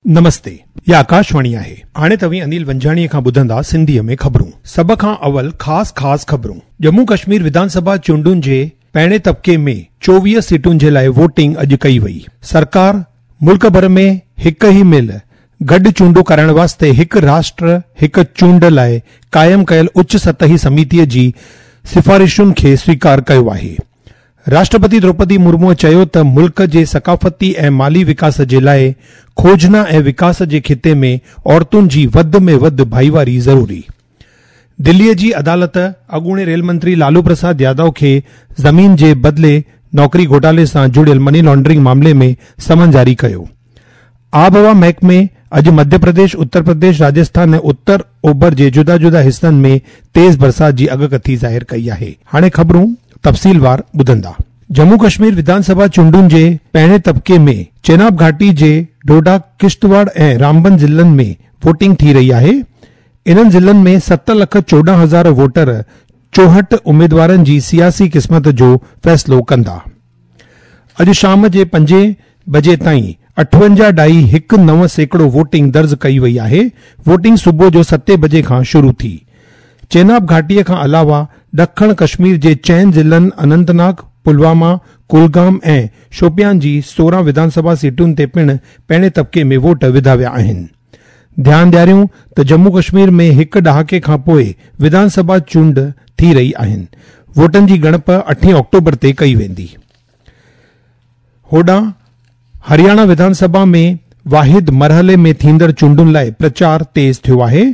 نمستي، هي آڪاشواڻي آهي. هاڻي توهين انيل ونجهاڻيء کان ٻڌندا سنڌيء ۾ خبرون. سڀ کان اول خاص خاص خبرون. ڄمون ڪشمير وڌان سڀا چونڊن جي پهرين طبقي ۾ 24 سيٽن جي لاء ووٽنگ اڄ ڪئي وئي. سرڪار ملڪ ڀر ۾ هڪ ئي مهل گڏ چونڊون ڪرائڻ واسطي هڪ راشٽر هڪ چونڊ لاء قائم ڪيل اچ سطحي سميتيء جي سفارشن کي سويڪار ڪيو آهي. راشٽرپتي دروپدي مرموء چيو ته ملڪ جي ثقافتي ۽ مالي وڪاس جي لاء کوجنا ۽ وڪاس جي خطي ۾ عورتن جي وڌ ۾ وڌ ڀائيواري ضروري. دليء جي عدالت اڳوڻي ريل منتري لالو پرساد يادو کي زمين جي بدلي نوڪري گهوٽالي سان جڙيل مني لانڊرنگ معاملي ۾ سمن جاري ڪيو. آبهوا محڪمي اڄ مڌيه پرديش، اتر پرديش، راجسٿان ۽ اتر اوڀر جي جدا جدا حصن ۾ تيز برسات جي اڳڪٿي ظاهر ڪئي آهي. هاڻي خبرون تفصيلوار ٻڌندا. ڄمون ڪشمير وڌان سڀا چونڊن جي پهرين طبقي ۾ چيناب گهاٽي جي ڊوڊا، ڪشتواڙ ۽ رامبن ضلعن ۾ ووٽنگ ٿي رهي آهي. انهن ضلعن ۾ 7 لک 14 هزار ووٽر 64 اميدوارن جي سياسي قسمت جو فيصلو ڪندا. اڄ شام جي پنجين بجي تائين اٺونجاهه ڏهائي هڪ نو سيڪڙو ووٽنگ درج ڪئي وئي آهي، ووٽنگ صبح جو ستين بجي کان شروع ٿي. چيناب گهاٽي کان علاوه ڏکڻ ڪشمير جي چئن ضلعن اننت ناگ، پلواما، ڪولگام ۽ شوپيان جي 16 وڌان سڀا سيٽن تي پڻ پهرين طبقي ۾ ووٽ وڌا ويا آهن. ڌيان ڏياريون ته ڄمون ڪشمير ۾ هڪ ڏهاڪي کان پوء وڌان سڀا چونڊ ٿي رهي آهن. ووٽن جي ڳڻپ اٺين آڪٽوبر تي ڪئي ويندي. هوڏانهن هرياڻا وڌان سڀا ۾ واحد مرحلي ۾ ٿيندڙ چونڊن لاء پرچار تيز ٿيو آهي.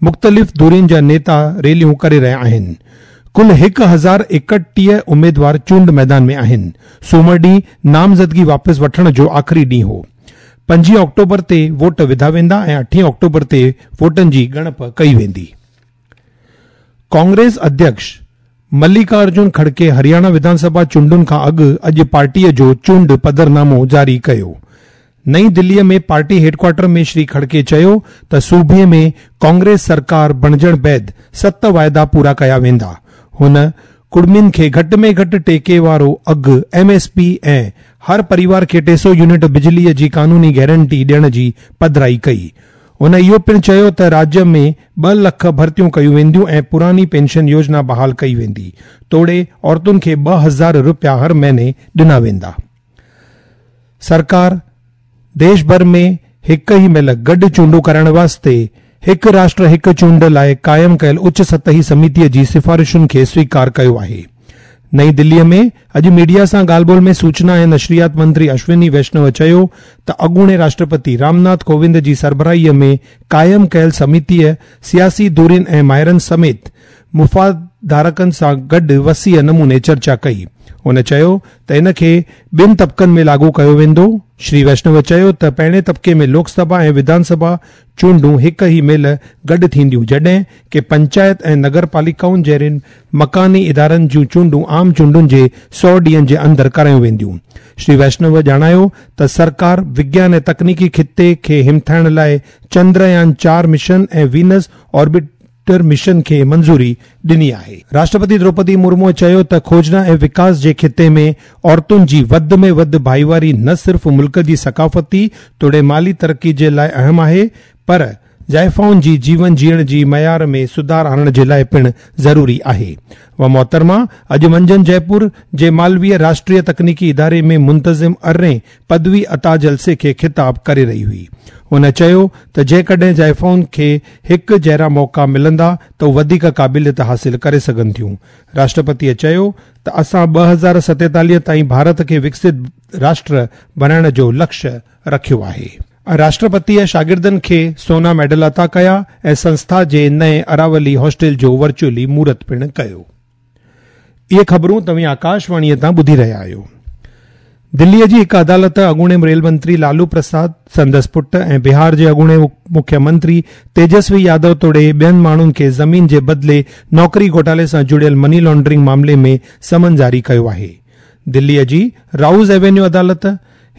مختلف ڌرين جا نيتا ريليون ڪري رهيا آهن. ڪل 1031 اميدوار چونڊ ميدان ۾ آهن. سومر ڏينهن نامزدگي واپس وٺڻ جو آخري ڏينهن هو. پنجين آڪٽوبر تي ووٽ وڌا ويندا ۽ اٺين آڪٽوبر تي ووٽن جي ڳڻپ ڪئي ويندي. ڪانگريس اڌيڪش مليڪا ارجن کڙڪي هرياڻا وڌان سڀا چونڊن کان اڳ اڄ پارٽيء جو چونڊ پڌرنامو جاري ڪيو. نئين دليء ۾ پارٽي هيڊڪوارٽر ۾ شري کڙڪي چيو ته صوبي ۾ ڪانگريس سرڪار بڻجڻ بعد ست واعدا پورا ڪيا ويندا. هن ڪڙمين کي گهٽ ۾ گهٽ ٽيڪي وارو اگهه، ايم ايس پي، ۽ هر پريوار کي 300 يونٽ بجليء جي قانوني گيرنٽي ڏيڻ جي پڌرائي ڪئي. هن اهو پڻ چيو ته راجيه ۾ 2 لک ڀرتيون ڪيون وينديون ۽ پراڻي پينشن يوجنا بحال ڪئي ويندي، توڙي عورتن کي 2000 رپيا هر مهيني ڏنا ويندا. سرڪار ديش ڀر ۾ هڪ ئي مهل گڏ چونڊون ڪرائڻ واسطي هڪ راشٽر هڪ چونڊ لاء قائم ڪيل اچ سطحي سميتيء جي سفارشن کي سويڪار ڪيو آهي. نئين دليء ۾ اڄ ميڊيا سان ڳالهه ٻولهه ۾ سوچنا ۽ نشريات منتري اشوني ويشنو چيو ته اڳوڻي راشٽرپتي رام ناٿ ڪووند جي سربراهيء ۾ قائم ڪيل سميتيء سياسي ڌرين ۽ ماهرن سميت مفادڌارڪن سان گڏ وسيع نموني چرچا ڪئي. هن چيو ته ان کي ٻن طبقن ۾ لاڳو ڪيو ويندو. شري ويشنو چيو ته پهرين طبقي ۾ لوڪ سڀا ۽ وڌان سڀا چونڊون هڪ ئي مهل گڏ ٿينديون جڏهن ڪي پنچائت ۽ نگر پاليڪائن جهڙين مڪاني ادارن جون چونڊون عام چونڊن جي 100 ڏينهن جي اندر ڪرايون وينديون. شري ويشنو ڄاڻايو ته سرڪار وگيان ۽ تڪنيڪي خطي کي همٿائڻ لاء چندريان 4 مشن ۽ وينس آربٽ ٽر مشن کي منظوري ڏني آهي. راشٽرپتي دروپدي مرموء چيو ته کوجنا ۽ وڪاس جي خطي ۾ عورتن جي وڌ ۾ وڌ ڀائيواري نه صرف ملڪ جي ثقافتي توڙي مالي ترقي جي لاء اهم آهي پر زائفائن جي جيون جيئڻ جي معيار ۾ سڌار آڻڻ جي لاء پڻ ضروري آهي. و محترمه اڄ منجهند جئپور جي مالويه راشٽريه تڪنيڪي اداري ۾ منتظم ارڙهين پدوي عطا جلسي کي خطاب ڪري رهي هئي. هن چيو ته جيڪڏهن زائفائن کي هڪ جهڙا موقعا ملندا ته هو وڌيڪ قابليت حاصل ڪري سگهن ٿيون. راشٽرپتيء چيو ته اسان 2047 تائين ڀارت کي وڪست راشٽر بڻائڻ جو لڪش رکيو آهي. راشٽرپتيء شاگردن کي سونا ميڊل عطا ڪيا ۽ سنسٿا جي نئين اراولي هاسٽل جو ورچوئلي مهورت پڻ ڪيو. اهي خبرون توهين آڪاشواڻيء تان ٻڌي رهيا آهيو. دليء جي هڪ عدالت اڳوڻي ريل منتري لالو پرساد، سندس پٽ ۽ بهار جي اڳوڻي مکيه منتري تيجسوي يادو توڙي ٻين ماڻهن کي زمين جي بدلي نوڪري گهوٽالي سان جڙيل مني لانڊرنگ معاملي ۾ سمن جاري ڪيو آهي. دليء جي رائوز ايوينيو عدالت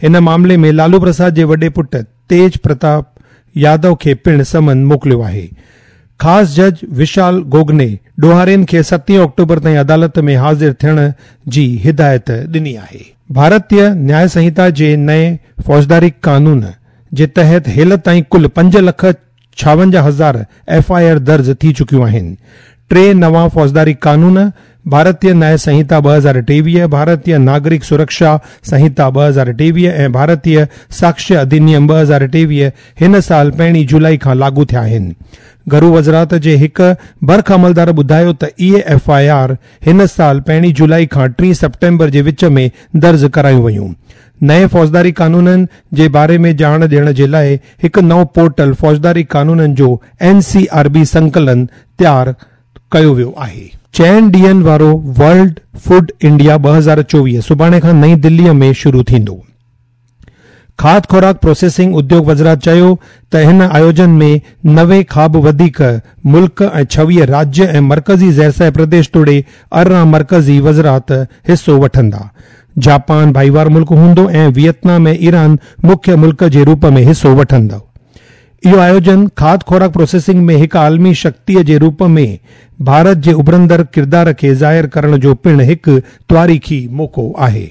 هن معاملي ۾ لالو پرساد جي وڏي پٽ تيج پرتاپ يادو کي پڻ سمن موڪليو آهي. خاص جج وشال گوگني ڏوهارين کي ستين آڪٽوبر تائين عدالت ۾ حاضر ٿيڻ جي هدايت ڏني آهي. ڀارتيه نياء سنهتا جي نئين فوجداري قانون جي تحت هيل تائين ڪل پنج لک ڇاونجاهه هزار ايف I R درج ٿي چڪيون آهن. ٽي نوان فوجداري قانون، ڀارتيه نياء سنهتا 2023، ڀارتيه ناگرڪ سرڪشا سنهتا 2023 ۽ ڀارتيه ساڪشيه اڌينيم 2023 هن سال پهرين جولائي کان لاڳو ٿيا آهن. گهرو وزارت جي هڪ برک عملدار ٻڌايو ته اهي ايف I R هن سال پهرين جولائي کان ٽين سيپٽمبر جي وچ ۾ درج ڪرايون ويون. نئين فوجداري قانونن جي باري ۾ ڄاڻ ڏيڻ جي لاء هڪ نئون پورٽل فوجداري قانونن جو اين سي آر بي سنڪلن تيار ڪيو ويو آهي. چئن ڏينهن وارو ورلڊ فوڊ انڊيا 2024 سڀاڻي کان نئين دلي ۾ شروع ٿيندو. کاڌ خوراڪ پروسيسنگ اديوگ وزارت چيو ته هن آيوجن ۾ 90 کان به وڌيڪ ملڪ ۽ 26 راجيه ۽ مرڪزي زيرسايه پرديش توڙي 18 مرڪزي وزارت حصو وٺندا. جاپان ڀائيوار ملڪ هوندو ۽ ويتنام ۽ ايران مکيه ملڪ جي روپ ۾ حصو وٺندو. اهو آيوجن کاڌ خوراڪ پروسيسنگ ۾ هڪ عالمي شڪتيء جي روپ ۾ ڀارت جي اڀرندڙ ڪردار کي ظاهر ڪرڻ جو پڻ هڪ تواريخي موقعو آهي.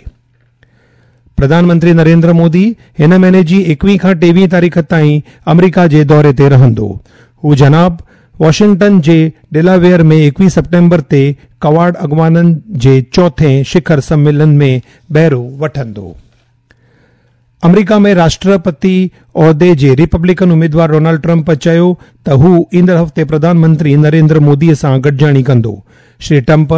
پرڌان منتري نريندر مودي هن مهيني جي ايڪويهه کان ٽيويهه تاريخ تائين آمريڪا جي دوري تي رهندو. هو جناب واشنگٽن جي ڊيلاويئر ۾ ايڪويهه سيپٽمبر تي ڪواڊ اڳواڻن جي چوٿين شکر سميلن ۾ بهرو وٺندو. آمريڪا ۾ راشٽرپتي عهدي جي ريپبلڪن اميدوار ڊونلڊ ٽرمپ چيو ته هو ايندڙ هفتي پرڌان منتري نريندر مودي سان گڏجاڻي ڪندو. شري ٽرمپ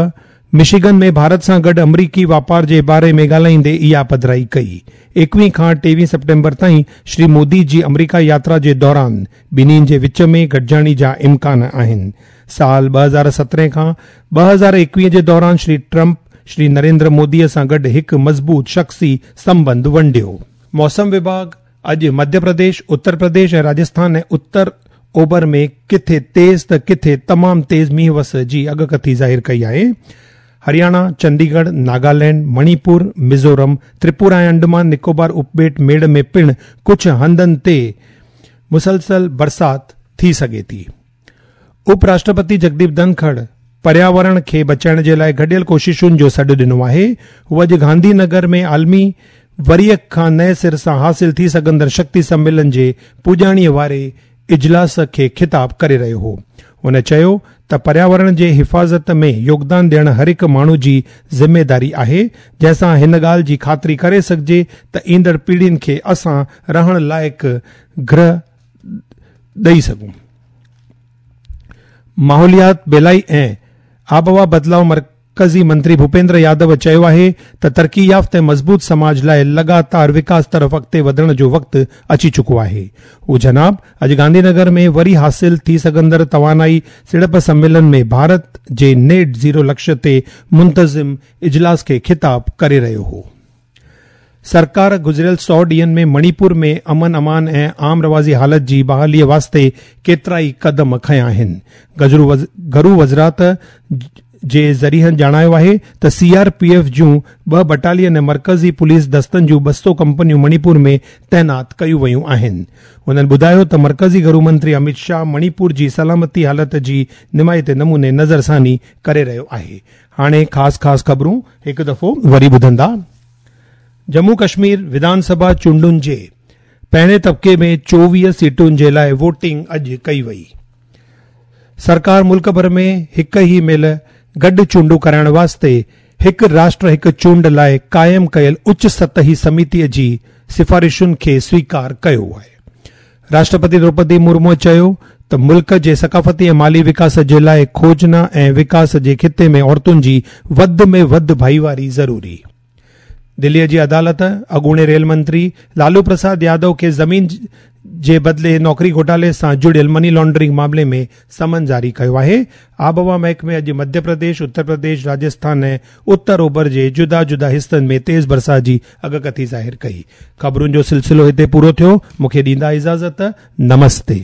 مشيگن ۾ ڀارت سان گڏ آمريڪي واپار جي باري ۾ ڳالهائيندي اها پڌرائي ڪئي. ايڪويهه کان ٽيويهه سيپٽمبر تائين شري مودي جي آمريڪا ياترا جي دوران ٻنهي جي وچ ۾ گڏجاڻي جا امڪان آهن. سال 2017 کان 2021 جي دوران شري ٽرمپ شري نريندر مودي سان گڏ هڪ مضبوط شخصي سنٻنڌ ونڊيو. موسم وڀاڳ اڄ مڌيه پرديش، اتر پرديش ۽ راجسٿان ۽ اتر اوڀر ۾ ڪٿي تيز ته ڪٿي تمام تيز مينهن وس جي اڳڪٿي ظاهر ڪئي آهي. هرياڻا، چنديڳڙهه، ناگالينڊ، مڻيپور، ميزورم، تريپورا ۽ انڊمان نڪوبار اپٻيٽ ميڙ ۾ پڻ ڪجهه هنڌن تي مسلسل برسات ٿي سگهي ٿي. اپ راشٽرپتي جگديپ ڌنکڙ پرياورڻ کي بچائڻ جي لاء گڏيل ڪوششن جو سڏ ڏنو آهي. هو اڄ گانڌي نگر ۾ عالمي وري کان نئين سر سان حاصل ٿي سگهندڙ شڪتي سميلن جي پڄاڻي واري اجلاس کي خطاب ڪري رهيو هو. هن چيو ته پرياورڻ جي حفاظت ۾ يوگدان ڏيڻ هر هڪ ماڻهو جي ذميداري آهي، جنهن سان هن ڳالهه جي خاطري ڪري سگهجي ته ايندڙ پيڙهين کي اسان رهڻ لائق گرهه ڏئي سگهون. ماحوليات، ٻيلائي ۽ آبهوا بدلاء مرڪزي منتري ڀوپيندر يادو چيو آهي ته ترقي يافته ۽ مضبوط سماج لاء لڳاتار وڪاس طرف اڳتي وڌڻ جو وقت اچي چڪو آهي. هو جناب اڄ گانڌي نگر ۾ وري حاصل ٿي سگهندڙ توانائي سيڙپ سميلن ۾ ڀارت جي نيٽ زيرو لڪشيه تي منتظم اجلاس کي خطاب ڪري رهيو هو. سرڪار گذريل سؤ ڏينهن ۾ مڻيپور ۾ امن امان ۽ عام رواجي حالت جي بحالي واسطي ڪيترائي قدم کنيا آهن. گهرو وزارت جي ذريعن ڄاڻايو آهي ته سي آر پي ايف جون ٻه بٽالين ۽ مرڪزي پوليس دستن جون 200 ڪمپنيون مڻيپور ۾ تعينات ڪيون ويون آهن. هنن ٻڌايو ته مرڪزي گهرو منتري اميت شاهه مڻيپور جي سلامتي حالت جي نمائتي نموني نظرثاني ڪري رهيو آهي. هاڻي خاص خاص خبرون هڪ دفعو وري ٻڌندا. ڄمون ڪشمير وڌان سڀا چونڊن جي پهرين طبقي ۾ 24 سيٽن جي لاء ووٽنگ اڄ ڪئي وئي. سرڪار ملڪ ڀر ۾ هڪ ئي مهل گڏ چونڊون ڪرائڻ واسطي هڪ راشٽر هڪ چونڊ لاء قائم ڪيل اچ سطحي سميتي جي سفارشن کي سويڪار ڪيو آهي. راشٽرپتي دروپدي مرمو چيو ته ملڪ جي ثقافتي ۽ مالي وڪاس جي لاء کوجنا ۽ وڪاس جي خطي ۾ عورتن جي وڌ ۾ وڌ ڀائيواري ضروري. دلي جي عدالت اڳوڻي ريل منتري لالو پرساد يادو کي زمين جي بدلي نوڪري گهوٽالي سان جڙيل مني لانڊرنگ معاملي ۾ سمن جاري ڪيو آهي. آبهوا محڪمي اڄ مڌيه پرديش، اتر پرديش، راجسٿان ۽ اتر اوڀر جي جدا جدا حصن ۾ تيز برسات جي اڳڪٿي ظاهر ڪئي. خبرن جو سلسلو هتي پورو ٿيو. مون کي ڏيندا اجازت. نمستي.